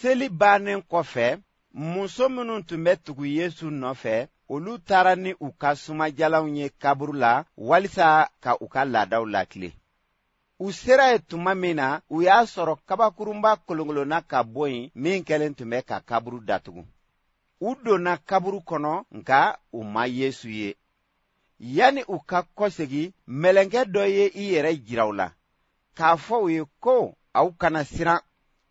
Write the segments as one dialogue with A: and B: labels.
A: Seli bannen kɔfɛ, muso minnu tun bɛ tugu Yesu nɔfɛ, olu taara ni u ka sumajalanw ye kaburu la walisa ka u ka laadaw latilen. U sera yen tuma min na, u y'a sɔrɔ kabakurunba kolonkolonna ka bɔ yen min kɛlen tun bɛ ka kaburu datugu. U donna kaburu kɔnɔ, nka u ma Yesu ye. Yanni u ka kɔsegin, mɛlɛkɛ dɔ ye i yɛrɛ jira u la, k'a fɔ u ye ko, Aw kana siran.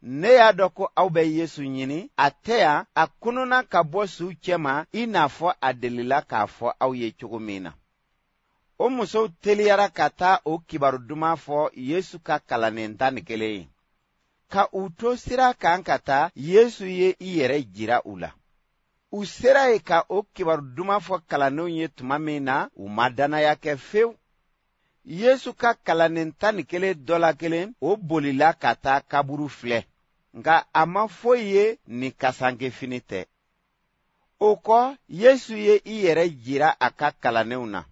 A: Ne y'a dɔn ko aw bɛ Yesu ɲini, a tɛ yan, a kununna ka bɔ suw cɛma i n'a fɔ a delila k'a fɔ aw ye cogo min na. O musow teliyara ka taa o kibaru duman fɔ Yesu ka kalanden 11 ye. Ka u to sira kan ka taa, Yesu ye i yɛrɛ jira u la. U sera yen ka o kibaru duman fɔ kalandenw ye tuma min na, u ma dannaya kɛ fewu. Yesu ka kalanden 11 dɔ la kelen, o bolila ka taa kaburu filɛ, nka a ma foyi ye ni kasankefini tɛ. O kɔ, Yesu ye i yɛrɛ jira a ka kalandenw na.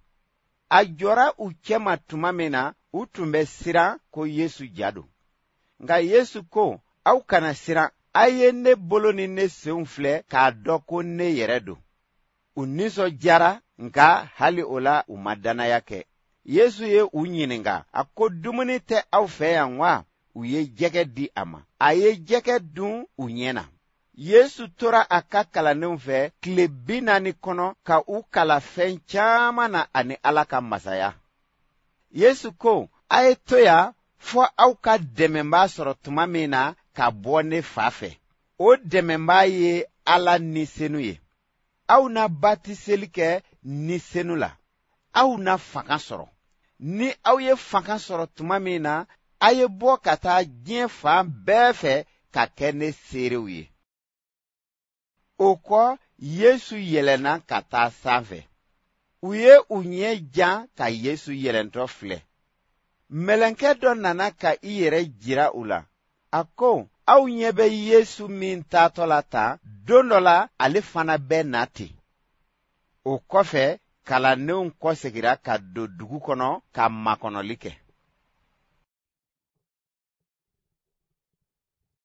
A: A jɔra u cɛma tuma min na, u tun bɛ siran ko Yesu ja don. Nka Yesu ko, Aw kana siran, a ye ne bolo ni ne senw filɛ k'a dɔn ko ne yɛrɛ don. U nisɔndiyara, nka hali o la u ma dannaya kɛ. Yesu ye u ɲininka, a ko, Dumuni tɛ aw fɛ yan wa? U ye jɛgɛ di a ma. A ye jɛgɛ dun u ɲɛ na. Yesu tora a ka kalandenw fɛ tile 40 kɔnɔ ka u kalan fɛn caman na ani Ala ka masaya. Yesu ko, A ye to yan fɔ aw ka dɛmɛbaa sɔrɔ tuma min na ka bɔ ne fa fɛ. O dɛmɛbaa ye Ala Ni Senu ye. Aw na batiseli kɛ Ni Senu la. Aw na fanga sɔrɔ. Ni aw ye fanga sɔrɔ tuma min na, a ye bɔ ka taa diɲɛ fan bɛɛ fɛ ka kɛ ne seerew ye. O kɔ, Yesu yɛlɛnna ka taa sanfɛ. U ye u ɲɛ jan ka Yesu yɛlɛntɔ filɛ. Mɛlɛkɛ dɔ nana ka i yɛrɛ jira u la. A ko, Aw ɲɛ bɛ Yesu min taatɔ la tan, don dɔ la ale fana bɛ na ten. O kɔfɛ, kalandenw kɔsegira ka don dugu kɔnɔ ka makɔnɔli kɛ.